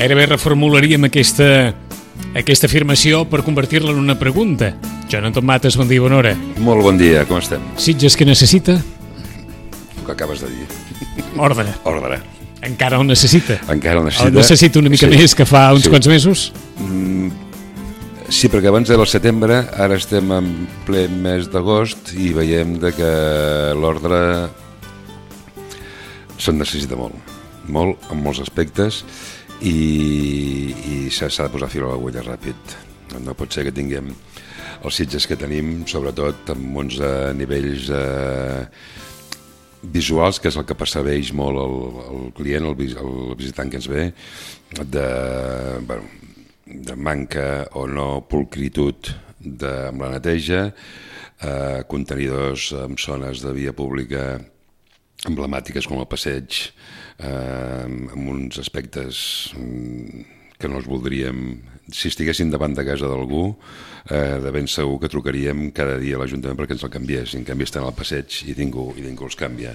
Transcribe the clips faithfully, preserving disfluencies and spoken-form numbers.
gairebé reformularíem aquesta, aquesta afirmació per convertir-la en una pregunta. Jonathan Mates, bon dia, bona hora. Molt bon dia, com estem? Sitges, què necessita? El que acabes de dir. Ordre. Ordre. Encara el necessita? Encara el necessita. El necessita una mica sí. més que fa uns sí. quants mesos? Mm, sí, perquè abans era el setembre, ara estem en ple mes d'agost i veiem de que l'ordre se'n necessita molt. Molt, en molts aspectes, i, i s'ha de posar fil a l'agulla ràpid. No pot ser que tinguem els Sitges que tenim, sobretot amb uns eh, nivells eh, visuals, que és el que percebeix molt el, el client, el, el visitant que ens ve, de, bueno, de manca o no pulcritud de, amb la neteja, eh, contenidors en zones de via pública emblemàtiques com el passeig, eh, amb uns aspectes que no els voldríem. Si estiguessin davant de casa d'algú, eh, de ben segur que trucaríem cada dia a l'Ajuntament perquè ens el canviés. En canvi estan al passeig i ningú, i ningú els canvia.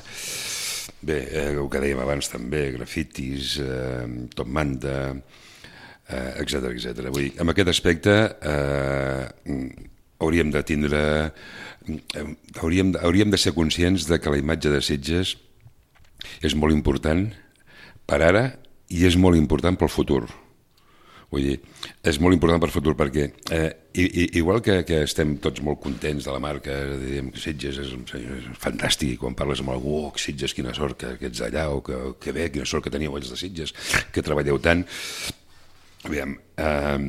Bé, eh, el que dèiem abans també, grafitis, eh, top manta, eh, etcètera, etcètera. Vull dir, en aquest aspecte eh, hauríem de tindre... Hauríem, hauríem de ser conscients de que la imatge de Sitges és molt important per ara i és molt important pel futur. Vull dir, és molt important per futur perquè eh, i, igual que, que estem tots molt contents de la marca, diem que Sitges és, és fantàstic, i quan parles amb algú, oh, Sitges, quina sort que, que ets allà, o que, que bé, quina sort que teníeu ells de Sitges, que treballeu tant. Aviam, eh,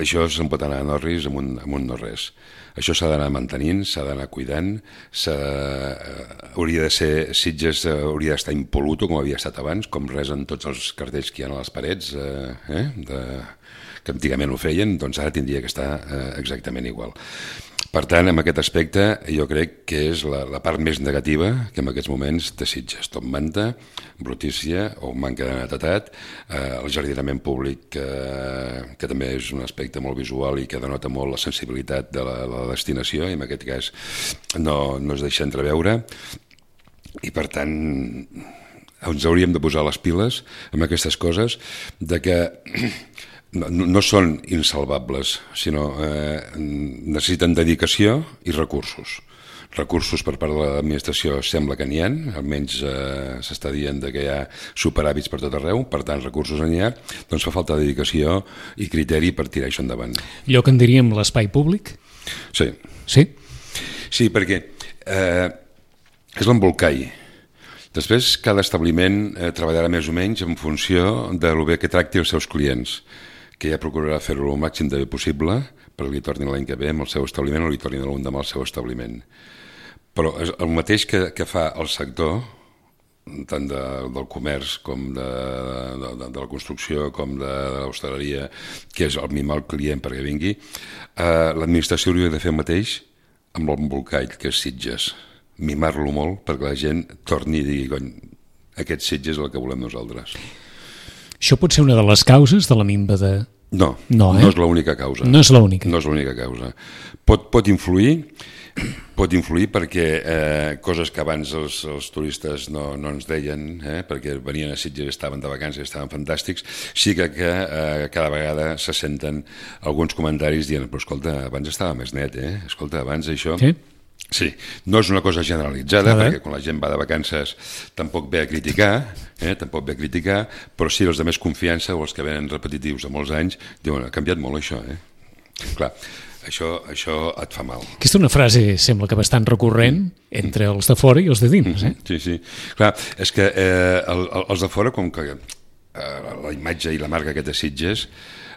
això se'n pot anar a Norris amb un, amb un no res. Això s'ha d'anar mantenint, s'ha d'anar cuidant, eh, hauria de ser, Sitges eh, hauria d'estar impoluto com havia estat abans, com resen tots els cartells que hi ha a les parets, eh, eh, de, que antigament ho feien, doncs ara tindria que estar eh, exactament igual. Per tant, en aquest aspecte, jo crec que és la, la part més negativa que en aquests moments de Sitges. Top manta, brutícia o manca de netedat, eh, el jardinament públic, eh, que també és un aspecte molt visual i que denota molt la sensibilitat de la, la destinació, i en aquest cas no, no es deixa entreveure. I per tant, ens hauríem de posar les piles amb aquestes coses, de que... No, no són insalvables, sinó eh, necessiten dedicació i recursos. Recursos per part de l'administració sembla que n'hi ha, almenys eh, s'està dient que hi ha superàvits per tot arreu, per tant recursos n'hi ha, doncs fa falta dedicació i criteri per tirar això endavant. Allò que en diríem l'espai públic? Sí. Sí? Sí, perquè eh, és l'embolcall. Després cada establiment eh, treballarà més o menys en funció de lo bé que tracti els seus clients, que ja procurarà fer-ho el màxim de bé possible perquè li tornin l'any que ve amb el seu establiment o li tornin l'endemà al seu establiment. Però el mateix que, que fa el sector, tant de, del comerç com de, de, de, de la construcció com de, de l'hostaleria, que és el mimar el client perquè vingui, eh, l'administració hauria de fer el mateix amb l'embolcall, que és Sitges. Mimar-lo molt perquè la gent torni i digui, cony, aquest Sitges és el que volem nosaltres. Això pot ser una de les causes de la minva de... No, no, eh? no és l'única causa. No és l'única. No és l'única causa. Pot, pot influir, pot influir perquè eh, coses que abans els, els turistes no, no ens deien, eh, perquè venien a Sitges, estaven de vacances, estaven fantàstics, sí que, que eh, cada vegada se senten alguns comentaris dient, però escolta, abans estava més net, eh? Escolta, abans això... Sí? Sí, no és una cosa generalitzada, perquè quan la gent va de vacances tampoc ve a criticar, eh, tampoc ve a criticar, però sí els de més confiança o els que venen repetitius de molts anys diuen, ha canviat molt això, eh? Clar, això, això et fa mal. Aquesta és una frase, sembla que bastant recurrent entre els de fora i els de dins, eh? Sí, sí. Clar, és que eh, el, els de fora, com que eh, la imatge i la marca que té Sitges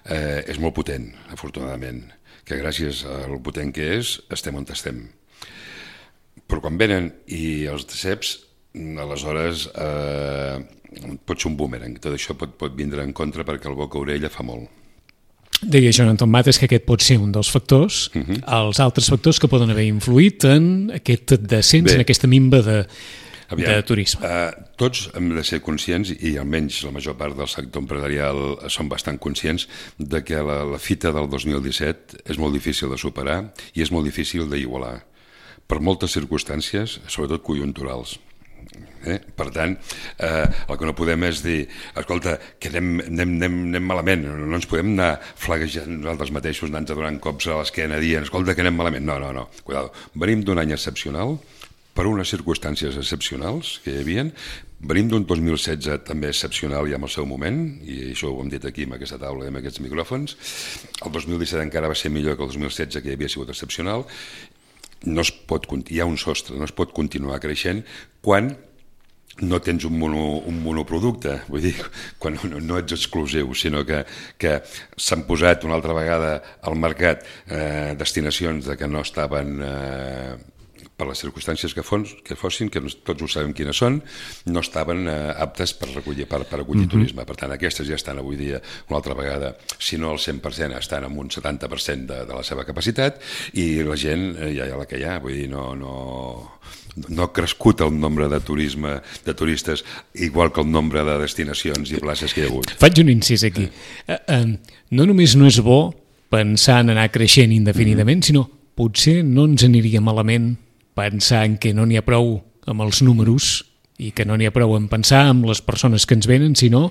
eh, és molt potent, afortunadament, que gràcies al potent que és, estem on estem. Però quan venen i els deceps, aleshores eh, pot ser un boomerang. Tot això pot, pot vindre en contra perquè el boca-orella fa molt. Deia Jonathan Mates que aquest pot ser un dels factors. Uh -huh. Els altres factors que poden haver influït en aquest descens, Bé, en aquesta minva de, aviam, de turisme. Eh, tots hem de ser conscients, i almenys la major part del sector empresarial són bastant conscients, de que la, la fita del dos mil disset és molt difícil de superar i és molt difícil d'igualar, per moltes circumstàncies, sobretot conjunturals. Eh? Per tant, eh, el que no podem és dir, escolta, que anem, anem, anem, anem malament, no ens podem anar flaguejant nosaltres mateixos, anant-nos donant cops a l'esquena dient, escolta, que anem malament. No, no, no, cuidado. Venim d'un any excepcional, per unes circumstàncies excepcionals que hi havia, venim d'un dos mil setze també excepcional ja en el seu moment, i això ho hem dit aquí amb aquesta taula i amb aquests micròfons. El dos mil disset encara va ser millor que el dos mil setze, que havia sigut excepcional. No es pot, hi ha un sostre, no es pot continuar creixent quan no tens un, mono, un monoproducte, vull dir, quan no, no ets exclusiu, sinó que, que s'han posat una altra vegada al mercat eh, destinacions de que no estaven... Eh, per les circumstàncies que, fos, que fossin, que tots ho sabem quines són, no estaven eh, aptes per recollir, per, per acollir uh-huh. turisme. Per tant, aquestes ja estan avui dia una altra vegada, si no al cent per cent, estan en un setanta per cent de, de la seva capacitat, i la gent eh, ja hi ha la que hi ha, vull dir, no... no no ha crescut el nombre de turisme de turistes igual que el nombre de destinacions i places que hi ha hagut. Faig un incís aquí. Eh, eh, no només no és bo pensar en anar creixent indefinidament, mm-hmm. sinó potser no ens aniria malament pensar en que no n'hi ha prou amb els números i que no n'hi ha prou en pensar en les persones que ens venen, sinó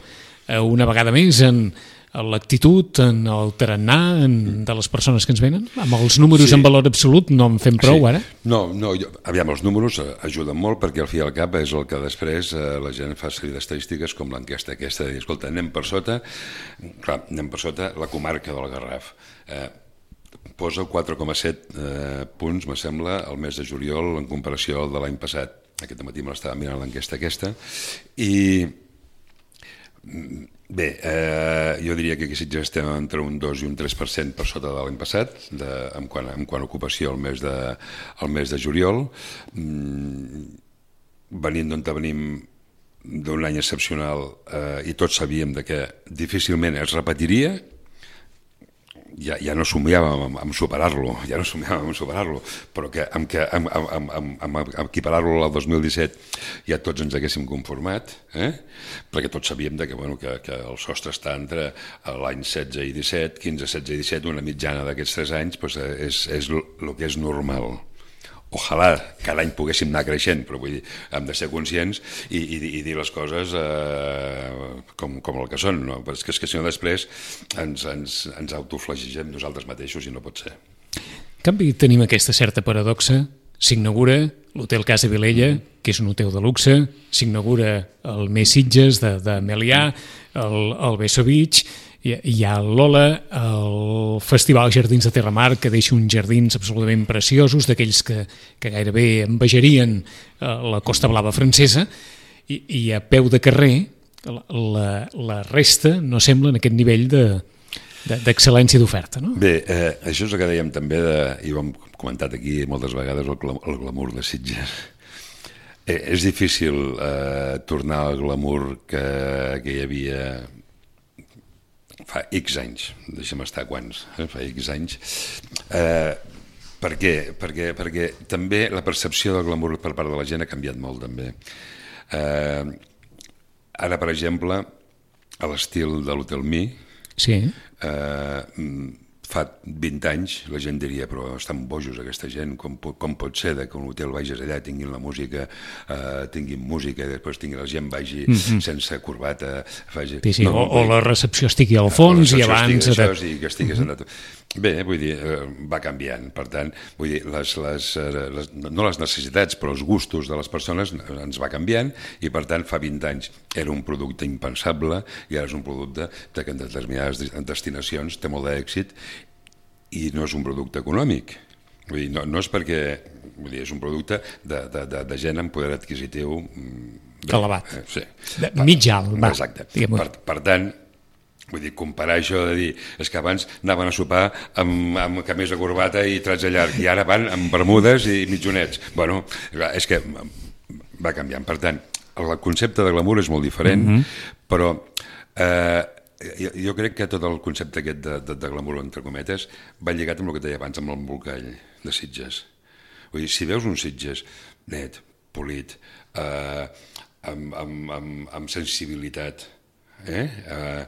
eh, una vegada més en l'actitud, en el tarannà en, de les persones que ens venen? Amb els números sí. en valor absolut no en fem prou, sí. ara? No, no jo, aviam, els números ajuden molt perquè al fi i al cap és el que després eh, la gent fa sèrie d'estadístiques com l'enquesta aquesta de dir, escolta, anem per sota, clar, anem per sota la comarca del Garraf. Eh, posa quatre coma set eh, punts, me sembla, al mes de juliol en comparació al de l'any passat. Aquest matí me l'estava mirant l'enquesta aquesta i... Bé, eh, jo diria que aquí Sitges estem entre un dos i un tres per cent per sota de l'any passat, de, en, quant, en quant a ocupació al mes de, al mes de juliol. Mm, venint d'on venim d'un any excepcional eh, i tots sabíem de que difícilment es repetiria, ja, ja no somiàvem amb, amb superar-lo, ja no somiàvem amb superar-lo, però que amb, que, amb, amb, amb, amb, amb equiparar-lo al dos mil disset ja tots ens haguéssim conformat, eh? Perquè tots sabíem de que, bueno, que, que el sostre està entre l'any setze i disset, quinze, setze i disset, una mitjana d'aquests tres anys, doncs és, és el que és normal. Ojalà cada any poguéssim anar creixent, però vull dir, hem de ser conscients i, i, i dir les coses eh, com, com el que són, no? Perquè és que si no després ens, ens, ens autoflagegem nosaltres mateixos i no pot ser. En canvi, tenim aquesta certa paradoxa. S'inaugura l'Hotel Casa Vilella, que és un hotel de luxe, s'inaugura el Més Sitges de, de Melià, el, el Beso Beach, hi ha el Lola, el Festival Jardins de Terramar, que deixa uns jardins absolutament preciosos, d'aquells que, que gairebé envejarien la Costa Blava francesa, i, i a peu de carrer la, la resta no sembla en aquest nivell de, de, d'excel·lència d'oferta, no? Bé, eh, això és el que dèiem també, de, i ho hem comentat aquí moltes vegades, el, glam, el glamour de Sitges. Eh, és difícil eh, tornar al glamour que, que hi havia fa X anys, deixa'm estar quants, eh? fa X anys. Eh, per què? Perquè, perquè també la percepció del glamour per part de la gent ha canviat molt, també. Eh, ara, per exemple, a l'estil de l'Hotel Mi, sí. eh, fa vint anys la gent diria però estan bojos aquesta gent, com, com pot ser que un hotel vagis allà, tinguin la música, eh, tinguin música i després tinguin la gent vagi mm-hmm. sense corbata, faci... sí, sí, no, o, o la recepció estigui al fons i abans... Això, de... que estigués mm-hmm. Bé, vull dir, eh, va canviant, per tant, vull dir, les, les, les, no les necessitats, però els gustos de les persones ens va canviant i, per tant, fa vint anys era un producte impensable i ara és un producte que en determinades destinacions té molt d'èxit i no és un producte econòmic. Vull dir, no, no és perquè... Vull dir, és un producte de, de, de, de gent amb poder adquisitiu... Bé, elevat. Eh, sí. De, mig alt, va. Exacte. Per, per tant... Vull dir, comparar això de dir, és que abans anaven a sopar amb, amb camisa corbata i tratge llarg, i ara van amb bermudes i mitjonets. Bueno, és que va canviant. Per tant, el concepte de glamour és molt diferent, mm-hmm. però eh, jo, jo crec que tot el concepte aquest de, de, de glamour, entre cometes, va lligat amb el que deia abans, amb l'embolcall de Sitges. Vull dir, si veus un Sitges net, polit, eh, amb, amb, amb, amb sensibilitat, eh? Eh,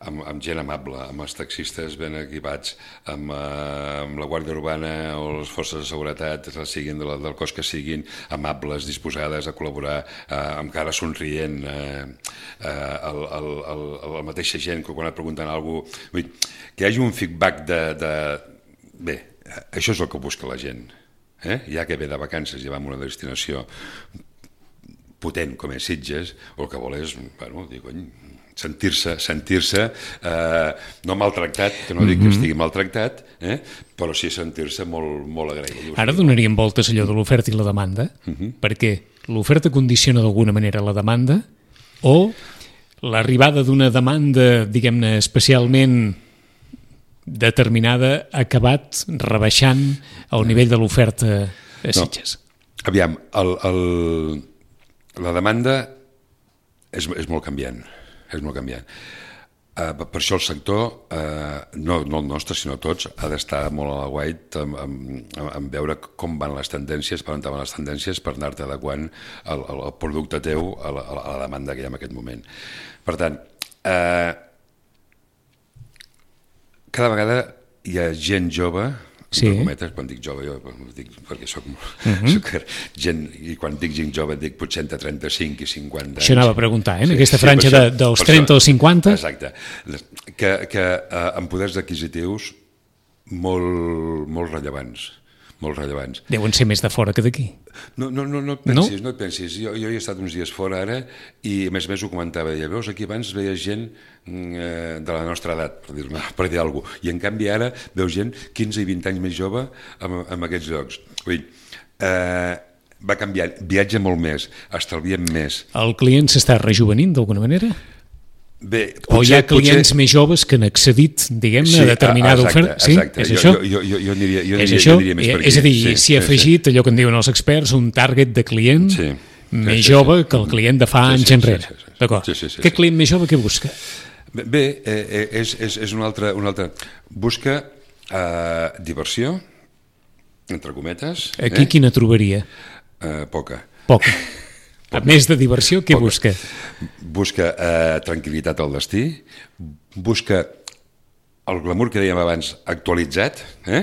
amb, amb gent amable, amb els taxistes ben equipats, amb, eh, amb la Guàrdia Urbana o les forces de seguretat, siguin de la, del cos que siguin, amables, disposades a col·laborar, eh, amb cara somrient, eh, eh, el, el, el, la mateixa gent que quan et pregunten alguna cosa, vull dir, que hi hagi un feedback de, de... Bé, això és el que busca la gent. Eh? Ja que ve de vacances i va a una destinació potent com és Sitges, o el que vol és, bueno, dir, cony, sentir-se, sentir-se eh, no maltractat, que no dic que estigui maltractat, eh, però sí sentir-se molt, molt agraït. Ara donaríem voltes allò de l'oferta i la demanda, uh-huh. perquè l'oferta condiciona d'alguna manera la demanda, o l'arribada d'una demanda, diguem-ne, especialment determinada ha acabat rebaixant el nivell de l'oferta a Sitges. No. Aviam, el, el, la demanda és, és molt canviant, és molt canviant. Uh, per això el sector, uh, no, no el nostre, sinó tots, ha d'estar molt a la guait en, en, en veure com van les tendències, per on van les tendències, per anar-te adequant el, el, el producte teu a la, a la demanda que hi ha en aquest moment. Per tant, eh, uh, cada vegada hi ha gent jove, sí. entre cometes, quan dic jove, jo dic perquè soc, uh-huh. soc gent, i quan dic gent jove dic potser entre trenta-cinc i cinquanta anys. Això anava a preguntar, eh? En sí, aquesta franja sí, de, dels trenta als cinquanta? Exacte. Que, que eh, amb poders adquisitius molt, molt rellevants. molt rellevants. Deuen ser més de fora que d'aquí. No, no, no, no et pensis, no, no et pensis. Jo, jo he estat uns dies fora ara i a més a més ho comentava. Ja veus, aquí abans veia gent eh, de la nostra edat, per dir-me, per dir alguna cosa, i en canvi ara veus gent quinze i vint anys més jove en, en aquests llocs. Vull dir, eh, va canviar, viatja molt més, estalviem més. El client s'està rejuvenint d'alguna manera? Bé, potser, o hi ha clients potser... més joves que han accedit, diguem-ne, sí, a determinada exacte, oferta? Sí? Exacte. És jo, això? Jo, jo, jo, aniria, jo, és aniria, això? jo diria més per aquí. És a dir, sí, s'hi ha afegit sí. allò que en diuen els experts, un target de client sí, més sí, jove sí. que el client de fa sí, anys sí, enrere. Sí, sí, sí. D'acord. Sí, sí, sí, Aquest client sí. més jove què busca? Bé, eh, és, és, és un altre... Un altre. Busca eh, diversió, entre cometes. Aquí eh? Quina trobaria? Eh, poca. Poca. A més de diversió, què busca? Busca eh, tranquil·litat al destí, busca el glamour que dèiem abans actualitzat, eh?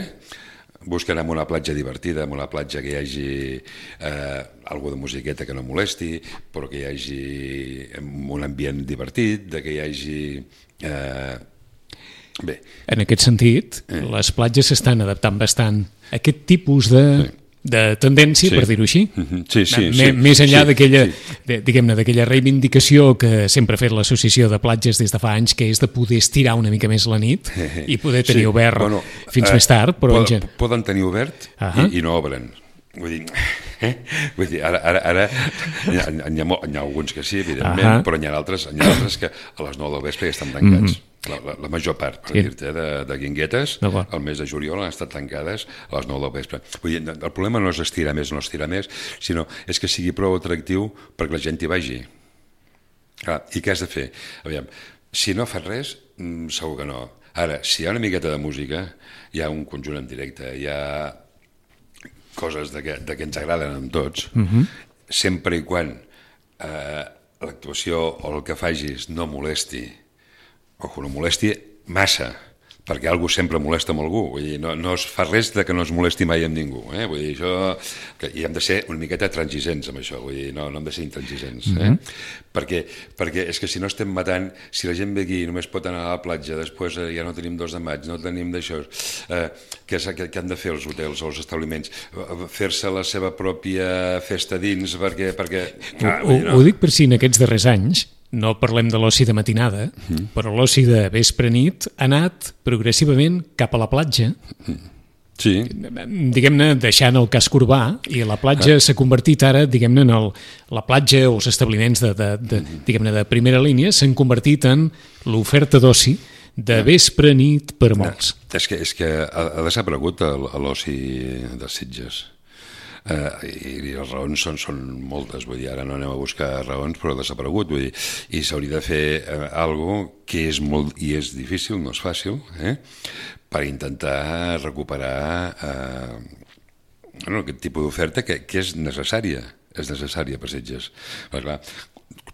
Busca anar a una platja divertida, a una platja que hi hagi eh, alguna de musiqueta que no molesti, però que hi hagi un ambient divertit, de que hi hagi... Eh, bé. En aquest sentit, eh. les platges s'estan adaptant bastant a aquest tipus de... Sí. de tendència, sí. per dir-ho així, sí, sí, M sí, més enllà sí, d'aquella sí. diguem-ne, d'aquella reivindicació que sempre ha fet l'associació de platges des de fa anys, que és de poder estirar una mica més la nit i poder tenir sí. obert bueno, fins eh, més tard, però poden, en... poden tenir obert uh-huh. i, i no obren. Vull dir, eh? Vull dir ara, ara, ara hi, ha, hi, ha, hi ha alguns que sí, evidentment, uh-huh. però hi ha altres, hi ha altres que a les nou del vespre ja estan tancats. Mm-hmm. La, la, la major part, per sí. dir-te, de, de guinguetes, el mes de juliol han estat tancades a les nou del vespre. Vull dir, el problema no és estirar més o no estirar més, sinó és que sigui prou atractiu perquè la gent hi vagi. Ah, I què has de fer? Aviam, si no fas res, segur que no. Ara, si hi ha una miqueta de música, hi ha un conjunt en directe, hi ha coses de que, de que ens agraden amb tots, mm-hmm. sempre i quan eh, l'actuació o el que facis no molesti, o que no molesti massa, perquè algú sempre molesta amb algú, vull dir, no, no es fa res de que no es molesti mai amb ningú, eh? Vull dir, això, que, i hem de ser una miqueta transigents amb això, vull dir, no, no hem de ser intransigents, eh? Mm-hmm. perquè, perquè és que si no estem matant, si la gent ve aquí i només pot anar a la platja, després eh, ja no tenim dos de maig, no tenim d'això, eh, què, què, què han de fer els hotels o els establiments? Fer-se la seva pròpia festa dins, perquè... perquè ah, ho, dir, no. ho dic per si en aquests darrers anys, no parlem de l'oci de matinada, mm. però l'oci de vespre-nit ha anat progressivament cap a la platja, sí. diguem-ne, deixant el casc urbà, i la platja ah. s'ha convertit ara, diguem-ne, en el, la platja o els establiments de, de, de, diguem-ne, de primera línia s'han convertit en l'oferta d'oci de vespre-nit per molts. No, és que, és que ha, ha desaparegut l'oci de Sitges. Uh, i, i les raons són, són moltes, vull dir, ara no anem a buscar raons, però ha desaparegut, vull dir, i s'hauria de fer uh, algo que és molt, i és difícil, no és fàcil, eh? per intentar recuperar uh, bueno, aquest tipus d'oferta que, que és necessària, és necessària per Sitges. Però, clar,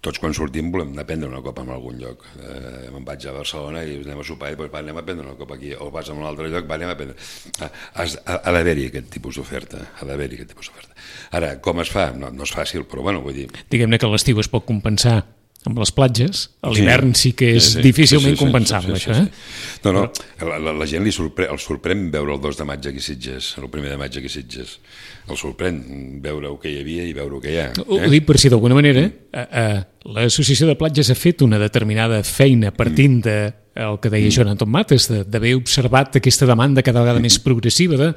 tots quan sortim volem anar a prendre una copa en algun lloc. Eh, me'n vaig a Barcelona i anem a sopar i doncs, va, anem a prendre una copa aquí, o vas a un altre lloc, va, anem a prendre... Ah, has, ha, ha d'haver-hi aquest tipus d'oferta, ha d'haver-hi aquest tipus d'oferta. Ara, com es fa? No, no és fàcil, però bueno, vull dir... Diguem-ne que l'estiu es pot compensar amb les platges, a l'hivern sí, sí que és sí, sí, difícilment sí, sí, compensable, sí, sí, sí, sí. això, eh? No, no, la, la, la gent li sorprèn, el sorprèn veure el dos de maig aquí a Sitges, el primer de maig aquí a Sitges. El sorprèn veure el que hi havia i veure el que hi ha. Eh? Ho dic per si d'alguna manera eh, eh, l'Associació de Platges ha fet una determinada feina partint de el que deia Joan Anton Mates, d'haver observat aquesta demanda cada vegada més progressiva de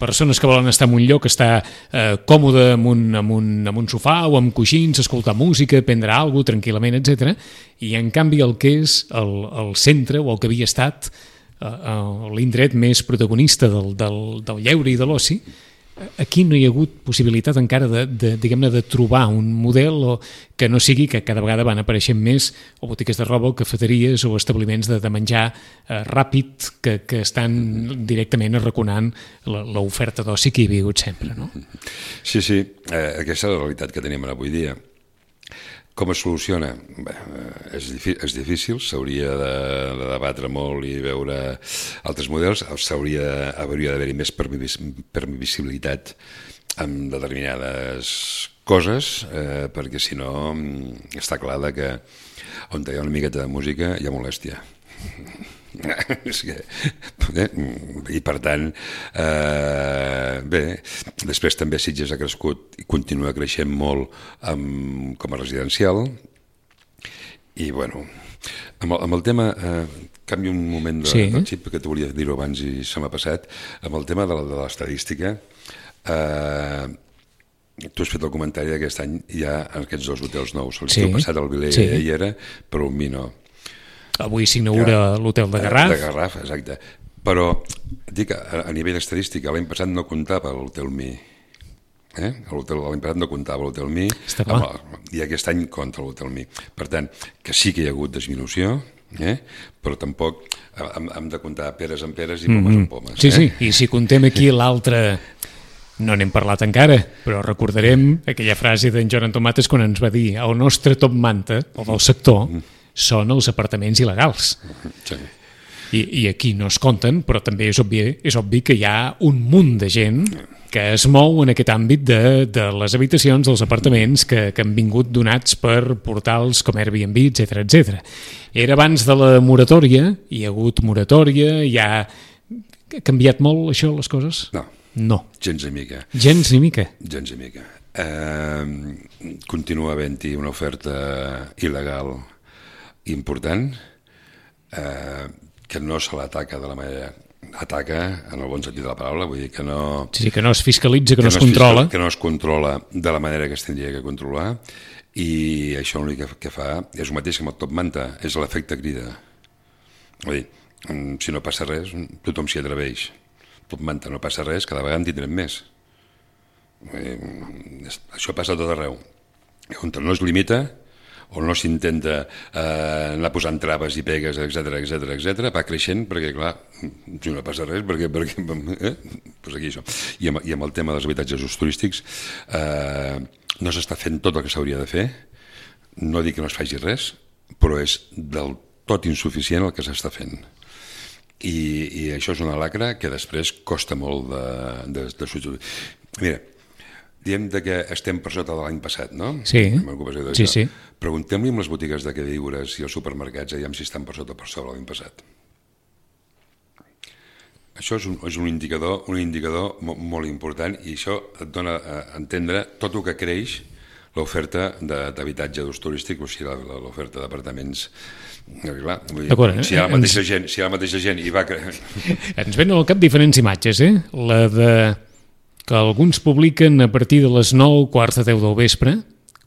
persones que volen estar en un lloc, estar eh, còmode en un, en, un, en un sofà o amb coixins, escoltar música, prendre alguna cosa tranquil·lament, etcètera. I en canvi el que és el, el centre o el que havia estat eh, l'indret més protagonista del, del, del lleure i de l'oci, aquí no hi ha hagut possibilitat encara de, de, diguem-ne, de trobar un model o que no sigui que cada vegada van apareixent més o botigues de roba o cafeteries o establiments de, de menjar eh, ràpid que, que estan directament arraconant l'oferta d'oci que hi havia hagut sempre, no? Sí, sí, eh, aquesta és la realitat que tenim avui dia. Com es soluciona? Bé, és, és difícil, s'hauria de, de debatre molt i veure altres models, s'hauria d'haver-hi més permissibilitat amb determinades coses, eh, perquè si no està clar que on hi ha una miqueta de música hi ha molèstia. És que, eh? I per tant eh, bé, després també Sitges ha crescut i continua creixent molt amb, com a residencial i bueno amb el, amb el tema eh, canvio un moment de, sí. del xip que t'ho volia dir-ho abans i se m'ha passat amb el tema de l'estadística eh, tu has fet el comentari d'aquest any hi ha aquests dos hotels nous l'estiu sí. passat el Vilella sí. hi era però un mi no. Avui s'inaugura l'hotel de Garraf. De Garraf, exacte. Però, dic, a, a nivell estadístic, l'any passat no comptava l'hotel Mi. Eh? L'any passat no comptava l'hotel Mi. Amb, I aquest any compta l'hotel Mi. Per tant, que sí que hi ha hagut disminució, eh? Però tampoc hem, hem de comptar peres en peres i pomes mm-hmm. en pomes. Sí, eh? sí, i si contem aquí l'altre... No n'hem parlat encara, però recordarem aquella frase d'en Joan Anton Mates quan ens va dir el nostre top manta, o del sector, són els apartaments il·legals. Sí. I, I aquí no es compten, però també és obvi, és obvi que hi ha un munt de gent que es mou en aquest àmbit de, de les habitacions, dels apartaments que, que han vingut donats per portals com Airbnb, etcètera, etcètera. Era abans de la moratòria, hi ha hagut moratòria, hi ha... Ha canviat molt això, les coses? No. No. Gens ni mica. Gens ni mica? Gens ni mica. Eh, continua havent-hi una oferta il·legal important eh, que no se l'ataca de la manera ataca en el bon sentit de la paraula, vull dir que no sí, que no es fiscalitza, que, que no es controla que no es controla de la manera que es tindria que controlar i això l'únic que, que fa és el mateix que amb el top manta, és l'efecte crida. Vull dir, si no passa res tothom s'hi atreveix, top manta no passa res, cada vegada en tindrem més. Vull dir, això passa a tot arreu on no es limita on no s'intenta eh, anar posant traves i pegues, etcètera, etcètera, etcètera, va creixent perquè, clar, si no passa res, perquè, perquè eh? pues aquí això. I amb, I amb el tema dels habitatges ús turístics eh, no s'està fent tot el que s'hauria de fer, no dic que no es faci res, però és del tot insuficient el que s'està fent. I, i això és una lacra que després costa molt de, de, de substituir. Mira, diem que estem per sota de l'any passat, no? Sí, sí, sí. Preguntem-li amb les botigues de queviures i els supermercats aviam si estan per sota o per sobre l'any passat. Això és un, és un indicador, un indicador molt, molt important i això et dona a entendre tot el que creix l'oferta d'habitatge d'ús turístic, o sigui, l'oferta d'apartaments. Clar, dir, eh? Si hi ha la mateixa gent, si hi ha la mateixa gent i va... Ens venen al cap diferents imatges, eh? La de... que alguns publiquen a partir de les nou, quarts de deu del vespre,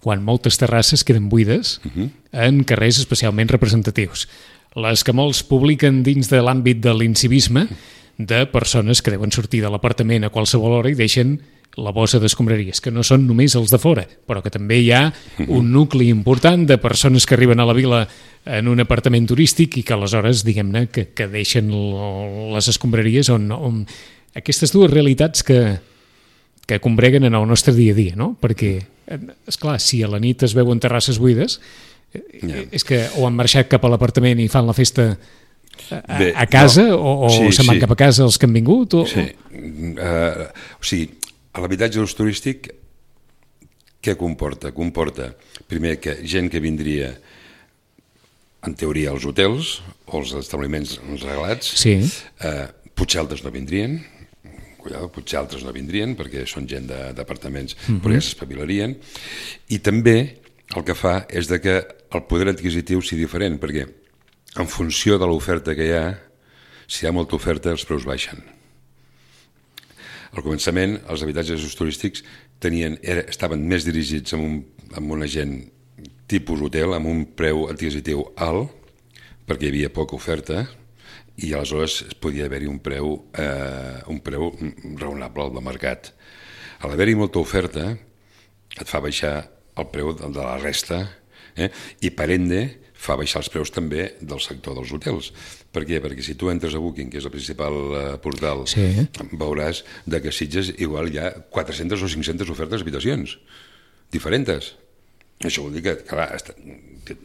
quan moltes terrasses queden buides, uh-huh. en carrers especialment representatius. Les que molts publiquen dins de l'àmbit de l'incivisme, de persones que deuen sortir de l'apartament a qualsevol hora i deixen la bossa d'escombraries, que no són només els de fora, però que també hi ha un nucli important de persones que arriben a la vila en un apartament turístic i que aleshores, diguem-ne, que, que deixen les escombraries on, on... Aquestes dues realitats que... que combreguen en el nostre dia a dia, no? Perquè esclar, si a la nit es veuen terrasses buides, Ja. és que o han marxat cap a l'apartament i fan la festa a, Bé, a casa, no. o, o Sí, se'n van sí. cap a casa els que han vingut, o... Sí. Uh, o sigui, a l'habitatge d'ús turístic què comporta? Comporta, primer, que gent que vindria, en teoria, als hotels o als establiments reglats, Sí. eh, potser altres no vindrien, cuidado, potser altres no vindrien perquè són gent de- d'apartaments, uh-huh. però ja s'espavilarien, i també el que fa és de que el poder adquisitiu sigui diferent, perquè en funció de l'oferta que hi ha, si hi ha molta oferta, els preus baixen. Al començament, els habitatges d'ús turístics tenien, era, estaven més dirigits amb, un, amb una gent tipus hotel, amb un preu adquisitiu alt, perquè hi havia poca oferta, i aleshores podia haver-hi un preu, eh, un preu raonable al mercat. A l'haver-hi molta oferta, et fa baixar el preu de, de la resta, eh? I per ende fa baixar els preus també del sector dels hotels. Per què? Perquè si tu entres a Booking, que és el principal eh, portal, Sí. veuràs de que a Sitges igual hi ha quatre-centes o cinc-centes ofertes d'habitacions diferents. Això vol dir que, clar, està, que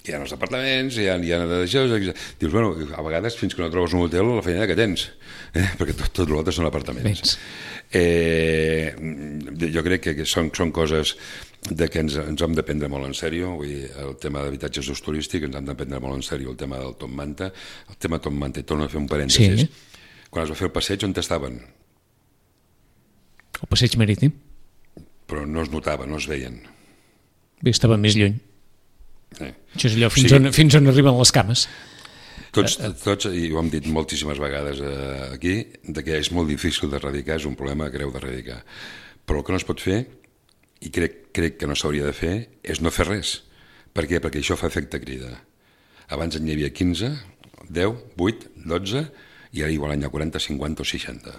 hi ha els apartaments, hi ha, hi ha d'això, dius, bueno, a vegades fins que no trobes un hotel la feina que tens, eh? perquè tot, tot l'altre són apartaments. Eh, jo crec que, que són, són coses de que ens, ens hem de prendre molt en sèrio. Vull dir, el tema d'habitatges d'ús turístic ens hem de prendre molt en sèrio, el tema del Top Manta, el tema Top Manta, i torno a fer un parèntesis. Sí. Quan es va fer el passeig, on estaven? El passeig marítim. Però no es notava, no es veien. Bé, estava més lluny. Eh? Això és allò fins, O sigui, on, fins on arriben les cames. Tots, tots, i ho hem dit moltíssimes vegades eh, aquí, de que és molt difícil d'erradicar, és un problema greu d'erradicar. Però el que no es pot fer, i crec, crec que no s'hauria de fer, és no fer res. Per què? Perquè això fa efecte crida. Abans n'hi havia quinze, deu, vuit, dotze, i ara igual n'hi ha quaranta, cinquanta o seixanta.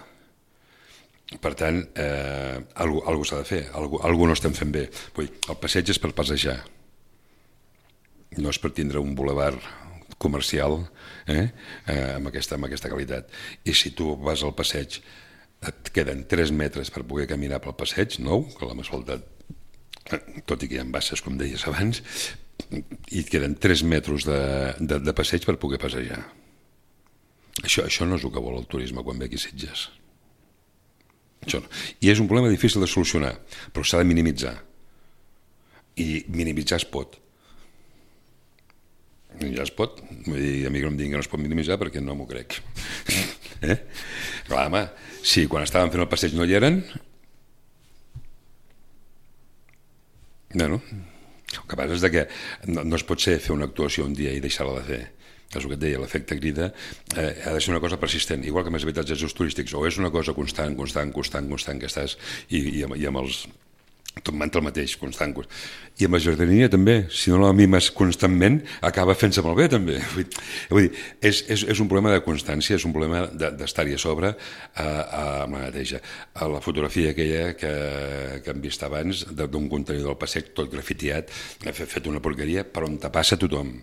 Per tant, eh, alguna cosa s'ha de fer, alguna cosa no estem fent bé. Vull dir, el passeig és per passejar, no és per tindre un bulevard comercial eh, eh, amb, aquesta, amb aquesta qualitat. I si tu vas al passeig, et queden tres metres per poder caminar pel passeig, nou, que l'hem asfaltat, tot i que hi ha basses, com deies abans, i et queden tres metres de, de, de passeig per poder passejar. Això, això no és el que vol el turisme quan ve aquí a Sitges. Això no. I és un problema difícil de solucionar, però s'ha de minimitzar. I minimitzar es pot. Ja es pot. Vull dir, a mi que no em diguin que no es pot minimitzar perquè no m'ho crec. eh? Clar, home, si quan estàvem fent el passeig no hi eren, bueno, el que passa és que no, no es pot ser fer una actuació un dia i deixar-la de fer. És el que et deia, l'efecte crida eh, ha de ser una cosa persistent, igual que amb els habitatges turístics, o és una cosa constant, constant, constant, constant que estàs, i, i, amb, i amb els tot manta el mateix, constant, constant. I amb la jardineria també, si no la mimes constantment, acaba fent-se molt bé també. Vull dir, vull dir és, és, és un problema de constància, és un problema d'estar-hi a sobre a, a, amb la neteja. A la fotografia aquella que, que hem vist abans, d'un contenidor del passeig tot grafitiat, fet, fet una porqueria, per on te passa tothom.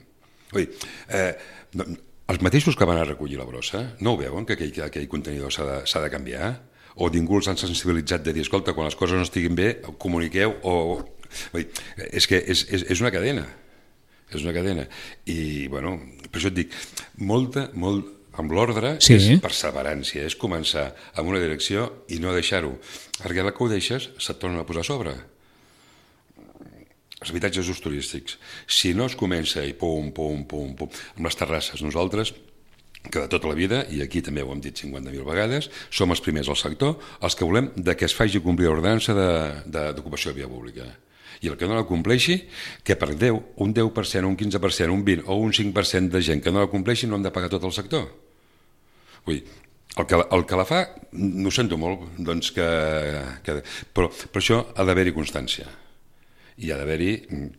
Vull dir, eh, no, els mateixos que van a recollir la brossa no ho veuen, que aquell, que aquell contenidor s'ha de, s'ha de canviar? O ningú els han sensibilitzat de dir, escolta, quan les coses no estiguin bé, comuniqueu, o... Vull dir, és que és, és, és una cadena, és una cadena. I, bueno, per això et dic, molta, molt, amb l'ordre, sí. És perseverància, és començar amb una direcció i no deixar-ho. Perquè la que ho deixes se't torna a posar a sobre. Els habitatges d'ús turístics. Si no es comença i pum, pum, pum, pum, amb les terrasses, nosaltres, que de tota la vida, i aquí també ho hem dit cinquanta mil vegades, som els primers al sector, els que volem de que es faci complir l'ordenança d'ocupació de, de via pública. I el que no la compleixi, que per deu, un deu per cent, un quinze per cent, un vint o un cinc per cent de gent que no la compleixi no hem de pagar tot el sector. Vull dir, el que, el que la fa, no ho sento molt, doncs que, que, però per això ha d'haver-hi constància. I ha d'haver-hi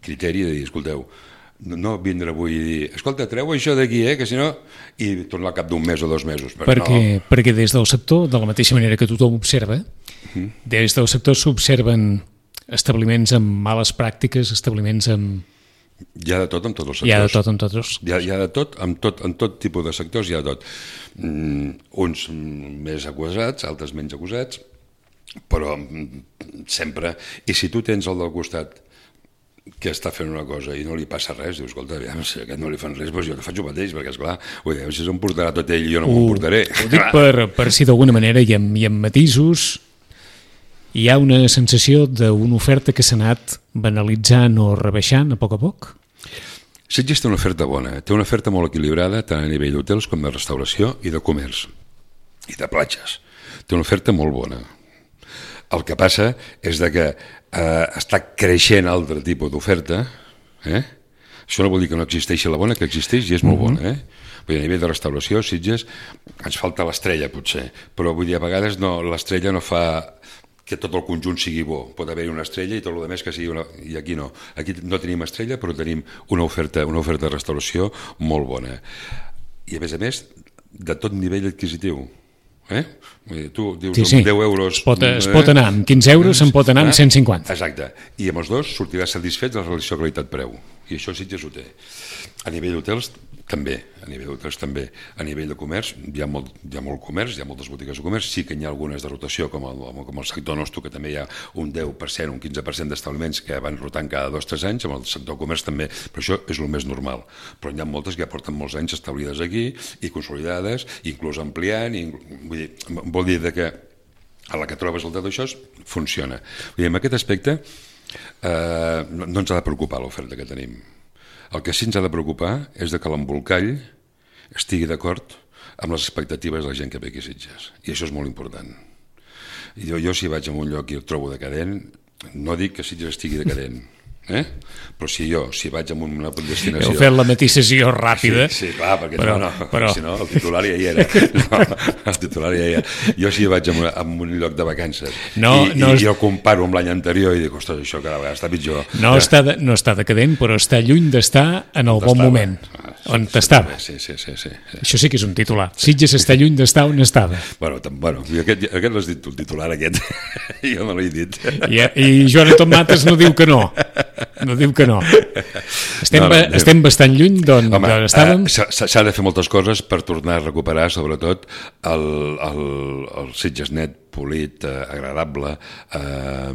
criteri de dir, escolteu, no vindre avui i dir, escolta, treu això d'aquí, eh, que si no... I tornar al cap d'un mes o dos mesos. Perquè, no. perquè des del sector, de la mateixa manera que tothom observa, uh-huh. des del sector s'observen establiments amb males pràctiques, establiments amb... Hi ha de tot en tots els sectors. Hi ha de tot en tots. Hi ha, hi ha de tot, en tot, en tot tipus de sectors hi ha de tot. Mm, uns més acusats, altres menys acusats, però sempre. I si tu tens el del costat que està fent una cosa i no li passa res, dius, escolta, aviam, si a aquest no li fan res, doncs jo te faig el mateix, perquè, esclar, vull dir, si se'n portarà tot ell i jo no m'ho portaré. Ho dic per, per si d'alguna manera i amb, i amb matisos hi ha una sensació d'una oferta que s'ha anat banalitzant o rebaixant a poc a poc? Sitges té una oferta bona, té una oferta molt equilibrada tant a nivell d'hotels com de restauració i de comerç i de platges. Té una oferta molt bona. El que passa és de que eh, està creixent altre tipus d'oferta. Eh? Això no vol dir que no existeixi la bona, que existeix i és molt bona. Eh? Vull dir, a nivell de restauració, Sitges, ens falta l'estrella, potser, però vull dir, a vegades no, l'estrella no fa que tot el conjunt sigui bo. Pot haver-hi una estrella i tot el més que sigui una... I aquí no. Aquí no tenim estrella, però tenim una oferta, una oferta de restauració molt bona. I a més a més, de tot nivell adquisitiu. Eh? Tu dius sí, sí. deu euros... Es pot, es pot anar amb quinze euros, se'n pot anar amb cent cinquanta. Exacte. I amb els dos sortiràs satisfet de la relació qualitat-preu. I això Sitges ho té. A nivell d'hotels, també. A nivell d'hotels, també. A nivell de comerç, hi ha, molt, hi ha molt comerç, hi ha moltes botigues de comerç. Sí que hi ha algunes de rotació, com el, com el sector nostre, que també hi ha un deu per cent, un quinze per cent d'establiments que van rotant cada dos o tres anys. Amb el sector comerç també, però això és el més normal. Però hi ha moltes que ja porten molts anys establides aquí i consolidades, inclús ampliant, i, vull dir, vol dir que a la que trobes el tot això funciona. Vull dir, en aquest aspecte eh, no, no ens ha de preocupar l'oferta que tenim. El que sí ens ha de preocupar és de que l'embolcall estigui d'acord amb les expectatives de la gent que ve aquí a Sitges. I això és molt important. Jo, jo si vaig a un lloc i el trobo decadent, no dic que Sitges estigui decadent, eh? Però si jo, si vaig a una destinació... Heu fet la matisació ràpida. Sí, sí, clar, perquè però, no, no, però... si no, el titular ja hi era. No, el titular ja hi era. Jo si vaig a un, a un lloc de vacances no, i, no i, i el comparo amb l'any anterior i dic, ostres, això cada vegada està pitjor. No, ja. està, de, no està decadent, però està lluny d'estar en el bon estava. moment, ah, sí, on sí, t'estava. Sí, sí, sí, sí, sí. Això sí que és un titular. Sitges està lluny d'estar on estava. Bueno, tam, bueno aquest, aquest l'has dit tu, el titular aquest. Jo no l'he dit. I, I Jonathan Mates no diu que no. No diu que no. Estem, no, no, estem bastant lluny d'on estàvem. Eh, S'ha de fer moltes coses per tornar a recuperar, sobretot, el, el, el Sitges net, polit, eh, agradable, eh,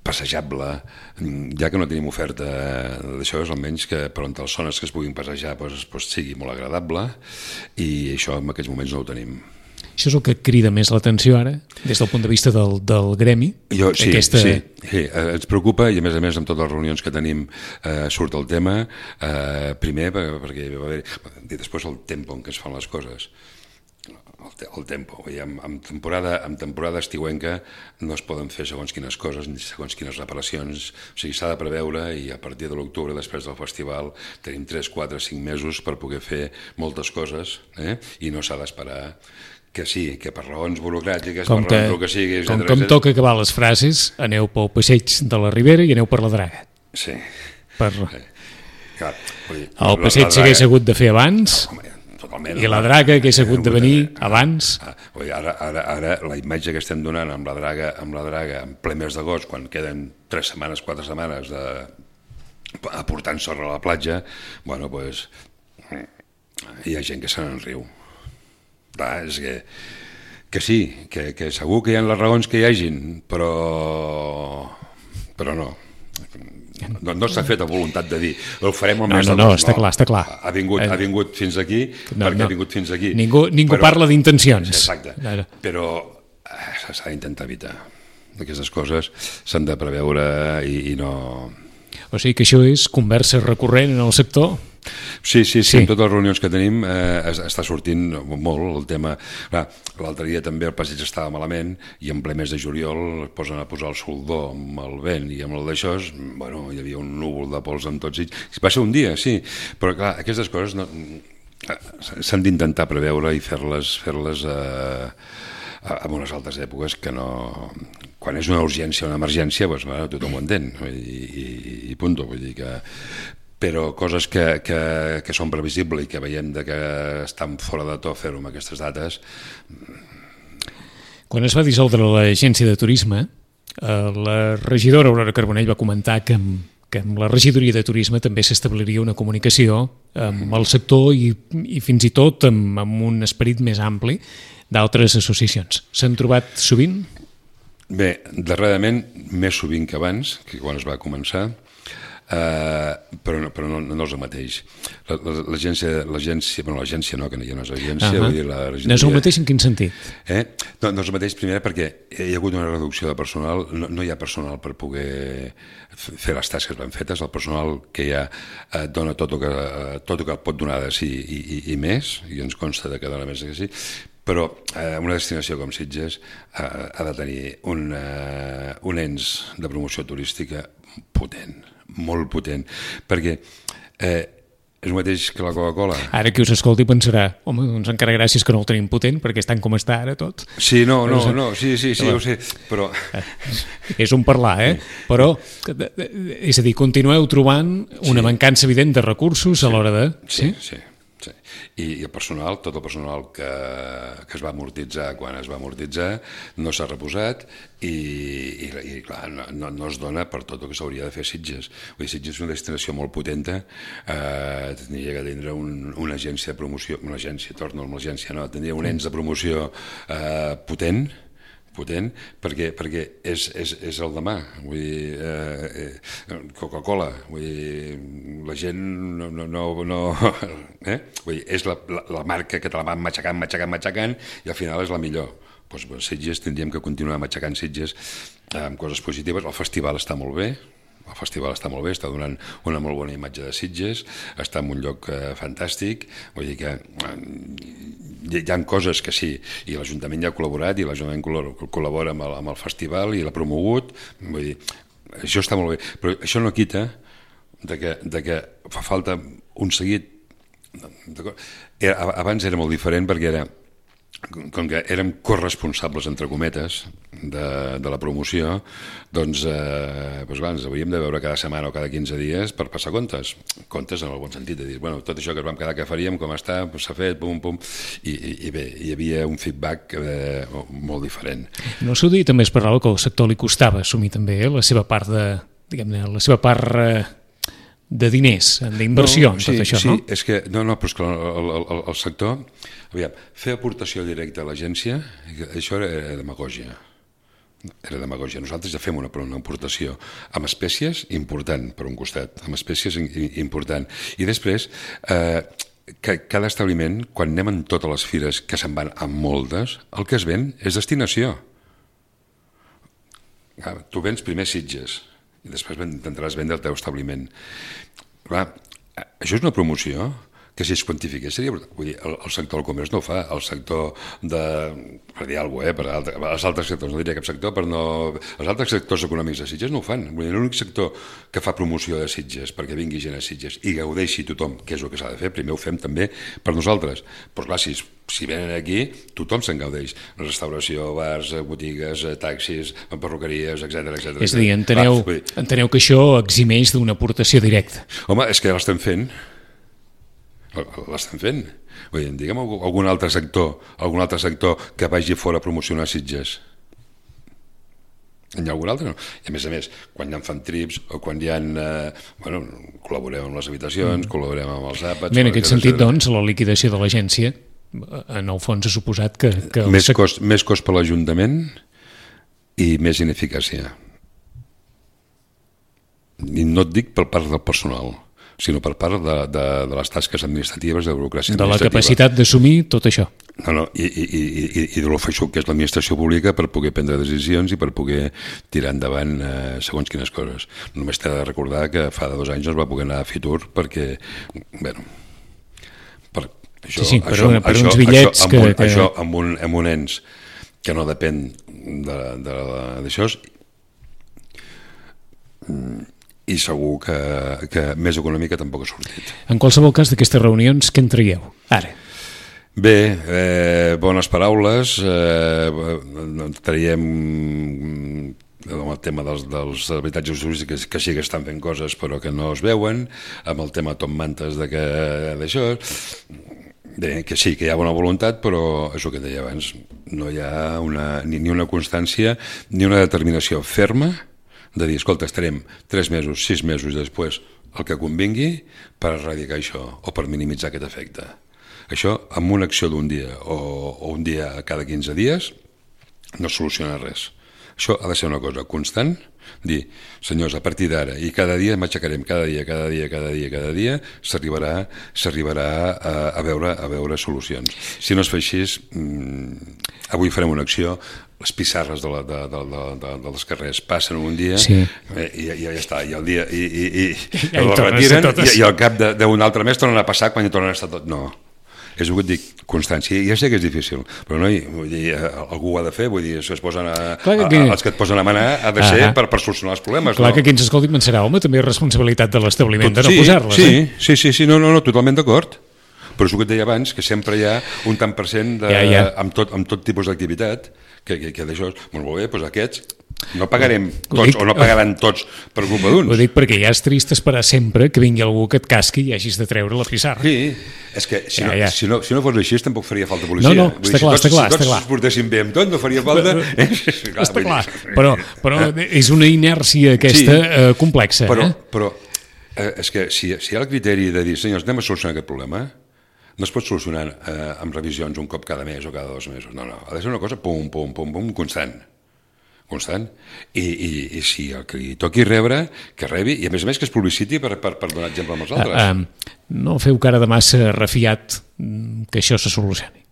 passejable. Ja que no tenim oferta d'això, és almenys que per on les zones que es puguin passejar doncs, doncs sigui molt agradable, i això en aquests moments no ho tenim. Això és el que crida més l'atenció ara, des del punt de vista del, del gremi? Jo, sí, aquesta... sí, sí, ens preocupa, i a més a més amb totes les reunions que tenim eh, surt el tema, eh, primer perquè va haver, i després el tempo en què es fan les coses, el, te, el tempo, vull dir, amb, amb, temporada, amb temporada estiuenca no es poden fer segons quines coses ni segons quines reparacions, o sigui, s'ha de preveure, i a partir de l'octubre, després del festival, tenim tres, quatre, cinc mesos per poder fer moltes coses, eh? I no s'ha d'esperar que sí, que per raons burocràtiques, com per raons que, que sigui... Com que em toca acabar les frases, aneu pel passeig de la Ribera i aneu per la Draga. Sí. Per... Sí. Clar, dir, el passeig s'hagués hagut de fer abans, no, home, totalment, i la Draga hagués hagut de venir abans. Ah, ara, ara, ara la imatge que estem donant amb la Draga, amb la Draga en ple mes d'agost, quan queden tres setmanes, quatre setmanes de... aportant sorra a la platja, bueno, doncs hi ha gent que se n'en riu. Clar, és que, que sí, que, que segur que hi ha les raons que hi hagin, però, però no. No, no s'ha fet a voluntat de dir ho farem el no, mes no, d'agost. No, està clar, està clar. Ha vingut, ha vingut fins aquí no, perquè no. ha vingut fins aquí. Ningú, ningú però, parla d'intencions. Exacte, no. Però eh, s'ha d'intentar evitar. Aquestes coses s'han de preveure i, i no... O sigui que això és conversa recurrent en el sector? Sí, sí, sí, sí. En totes les reunions que tenim eh, està sortint molt el tema. L'altre dia també el passeig estava malament i en ple mes de juliol es posen a posar el soldó amb el vent i amb el d'això, bueno, hi havia un núvol de pols amb tots ells. Va ser un dia, sí, però clar, aquestes coses no, s'han d'intentar preveure i fer-les fer-les eh, en unes altres èpoques que no... Quan és una urgència o una emergència, doncs, bueno, tothom ho entén, i, i, i punt, vull dir que... Però coses que, que, que són previsibles i que veiem de que estan fora de to fer-ho amb aquestes dates. Quan es va dissoldre l'agència de turisme, la regidora Aurora Carbonell va comentar que amb, que amb la regidoria de turisme també s'establiria una comunicació amb el sector i, i fins i tot amb, amb un esperit més ampli d'altres associacions. S'han trobat sovint? Bé, darrerament, més sovint que abans, que quan es va començar, Uh, però, no, però no, no és el mateix. L'agència, l'agència, bueno, l'agència no, que ja no és agència, uh -huh. vull dir, la no és el mateix en quin sentit? Eh? No, no és el mateix, primer perquè hi ha hagut una reducció de personal, no, no hi ha personal per poder fer les tasques ben fetes, el personal que hi ha eh, dona tot el que, eh, tot el que pot donar de sí i, i, i més, i ens consta de que dona més que sí, però eh, una destinació com Sitges eh, ha de tenir un, eh, un ens de promoció turística potent, molt potent, perquè eh, és el mateix que la Coca-Cola. Ara qui us escolti pensarà, home, doncs encara gràcies que no el tenim potent, perquè és tant com està ara tot. Sí, no, no, no, sí, sí, sí, ja ho sé, però... És un parlar, eh? Però, és a dir, continueu trobant una mancança evident de recursos a l'hora de... Sí, sí. Sí. I, i el personal, tot el personal que, que es va amortitzar quan es va amortitzar no s'ha reposat i, i, i clar, no, no es dona per tot el que s'hauria de fer a Sitges. Vull dir, Sitges és una destinació molt potenta, eh, tindria que tindre un, una agència de promoció, una agència, torno a l'agència, no, tindria un ens de promoció eh, potent, potent, perquè, perquè és, és, és el demà. Vull dir, eh, Coca-Cola, vull dir, la gent no... no, no, no eh? Vull dir, és la, la, la marca que te la van matxacant, matxacant, matxacant, i al final és la millor. Doncs, doncs Sitges tindríem que continuar matxacant Sitges amb coses positives. El festival està molt bé, el festival està molt bé, està donant una molt bona imatge de Sitges, està en un lloc eh, fantàstic, vull dir que eh, hi ha coses que sí, i l'Ajuntament ja ha col·laborat, i l'Ajuntament col·labora amb el, amb el festival i l'ha promogut, vull dir, això està molt bé, però això no quita de que, de que fa falta un seguit. Era, abans era molt diferent perquè era com que érem corresponsables, entre cometes, de, de la promoció, doncs, eh, doncs clar, ens hauríem de veure cada setmana o cada quinze dies per passar comptes. Comptes en el bon sentit, de dir, bueno, tot això que es vam quedar que faríem, com està, s'ha fet, pum, pum, i, i, i bé, hi havia un feedback eh, molt diferent. No s'ho dir, també es parlava que al sector li costava assumir també eh, la seva part de, diguem-ne, la seva part... Eh, de diners, d'inversió, no, sí, tot això, sí, no? Sí, és que, no, no, però és que el, el, el sector, aviam, fer aportació directa a l'agència, això era demagògia. Era demagògia. Nosaltres ja fem una, una aportació amb espècies important, per un costat, amb espècies important. I després, eh, que cada establiment, quan anem en totes les fires, que se'n van amb moltes, el que es ven és destinació. Tu vens primer Sitges, i després intentaràs vendre el teu establiment. Clar, això és una promoció que si es quantifiqués seria... Vull dir, el, el sector del comerç no ho fa, el sector de... per dir alguna cosa, eh, per altre, els altres sectors, no diria cap sector, per no... Els altres sectors econòmics de Sitges no ho fan. Vull dir, l'únic sector que fa promoció de Sitges perquè vingui gent a Sitges i gaudeixi tothom, que és el que s'ha de fer, primer ho fem també per nosaltres. Però clar, si, si venen aquí, tothom se'n gaudeix. Restauració, bars, botigues, taxis, perruqueries, etcètera, etcètera. És a dir, enteneu, clar, dir... enteneu que això eximeix d'una aportació directa. Home, és que ja l'estem fent. L'estem fent. Vull dir, diguem algun altre sector, algun altre sector que vagi fora a promocionar Sitges. Hi ha algun altre? No. I a més a més, quan hi ha fan trips o quan hi ha... Eh, bueno, col·laborem amb les habitacions, mm. col·laborem amb els àpats... Bé, en aquest sentit, doncs, la liquidació de l'agència, en el fons ha suposat que... que més, el... cost, més cost per l'Ajuntament i més ineficàcia. I no et dic per part del personal, sinó per part de, de, de les tasques administratives, de burocràcia administrativa. De la capacitat d'assumir tot això. No, no, i, i, i, i de l'ofeixut que és l'administració pública per poder prendre decisions i per poder tirar endavant eh, segons quines coses. Només t'he de recordar que fa dos anys no es va poder anar a Fitur perquè, bueno, per, això, sí, sí, per, això, una, per això, uns bitllets això, amb un, que... això amb un, amb un ens que no depèn d'això i segur que, que més econòmica tampoc ha sortit. En qualsevol cas d'aquestes reunions, què en traieu ara? Bé, eh, bones paraules, eh, traiem amb el tema dels, dels habitatges turístics que sí que estan fent coses però que no es veuen, amb el tema Tom Mantes d'això, bé, que sí que hi ha bona voluntat, però és el que deia abans, no hi ha una, ni, ni una constància ni una determinació ferma de dir, escolta, estarem tres mesos, sis mesos després el que convingui per erradicar això o per minimitzar aquest efecte. Això, amb una acció d'un dia o, o un dia cada quinze dies, no soluciona res. Això ha de ser una cosa constant, dir, senyors, a partir d'ara, i cada dia m'aixecarem, cada dia, cada dia, cada dia, cada dia, s'arribarà s'arribarà a, a, veure, a veure solucions. Si no es fa així, mmm, avui farem una acció, les pissarres de, la, de, de, de, de, de les carrers passen un dia sí. eh, i, i ja està, i el dia i, i, i, ja i el retiren i, i al cap d'un altre mes tornen a passar quan hi tornen a estar tot. No, és el que et dic, constància. Ja sé que és difícil, però no, vull dir, algú ho ha de fer, vull dir, es posen a, que aquí... a, els que et posen a manar ha de ser ah, per, per solucionar els problemes. Clar no? que qui ens escolti pensarà, home, també és responsabilitat de l'establiment de no sí, posar-les. Sí, eh? sí, sí, sí, no, no, no, totalment d'acord. Però és el que et deia abans, que sempre hi ha un tant per cent de, ja, ja. Amb, tot, amb tot tipus d'activitat, que, que, que d'això, molt bé, doncs aquests no pagarem tots, dic, o no pagaran tots per culpa d'uns. Ho dic perquè ja és trist esperar sempre que vingui algú que et casqui i hagis de treure la pissarra. Sí, és que si, ja, no, ja. si, no, si no fos així tampoc faria falta policia. No, no, està clar, dir, si tots, està clar. Si tots clar. es portessin bé amb tot, no faria falta... Eh? clar, està clar, però, però és una inèrcia aquesta sí, eh, complexa. Però, eh? però eh, és que si, si hi ha el criteri de dir, senyors, anem a solucionar aquest problema, no es pot solucionar eh, amb revisions un cop cada mes o cada dos mesos. No, no, ha de ser una cosa pum, pum, pum, pum, constant. Constant. I, i, i si el que li toqui rebre, que rebi, i a més a més que es publiciti per, per, per donar exemple amb els altres. Uh, um, no feu cara de massa refiat que això se solucioni?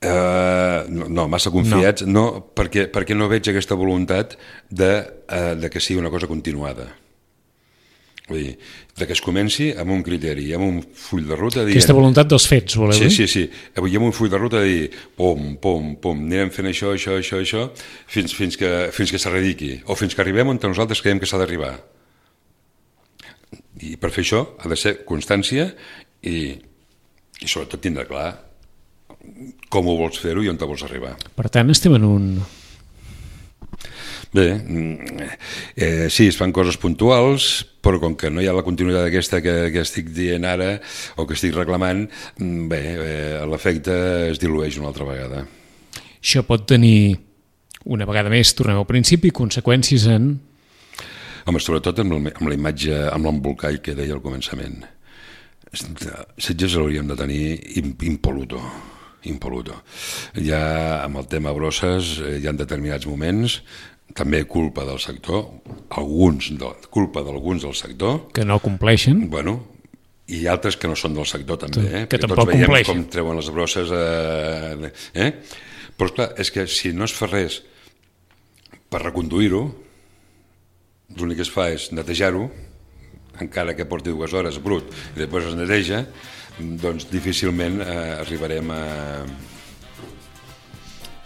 Uh, no, no, massa confiats, no, no perquè, perquè no veig aquesta voluntat de, uh, de que sigui una cosa continuada. Vull dir, de que es comenci amb un criteri, amb un full de ruta dient... Aquesta voluntat dels fets, voleu dir? Sí, sí, sí. Avui amb un full de ruta de dir pom, pom, pom, anirem fent això, això, això, això, fins, fins que, fins que s'erradiqui, o fins que arribem on nosaltres creiem que s'ha d'arribar. I per fer això ha de ser constància i, i sobretot tindre clar com ho vols fer-ho i on te vols arribar. Per tant, estem en un... Bé, eh, sí, es fan coses puntuals, però com que no hi ha la continuïtat aquesta que, que estic dient ara o que estic reclamant, bé, eh, l'efecte es dilueix una altra vegada. Això pot tenir, una vegada més, tornem al principi, conseqüències en... Home, sobretot amb, el, amb la imatge, amb l'embolcall que deia al començament. Sitges l'hauríem de tenir impoluto, impoluto. Ja amb el tema Brosses hi ha determinats moments, també culpa del sector, alguns de, culpa d'alguns del sector... Que no compleixen. Bueno, i altres que no són del sector també, eh? Que Perquè tampoc tots veiem compleixen. Com treuen les brosses... Eh? Eh? Però esclar, és que si no es fa res per reconduir-ho, l'únic que es fa és netejar-ho, encara que porti dues hores brut i després es neteja, doncs difícilment eh, arribarem a...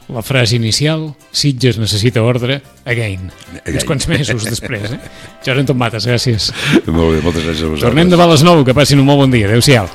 La frase inicial, Sitges necessita ordre, again. again. Uns quants mesos després, eh? Jordi Anton Matas, gràcies. Molt bé, moltes gràcies a vosaltres. Tornem demà a les nou, que passin un molt bon dia. Adéu-siau.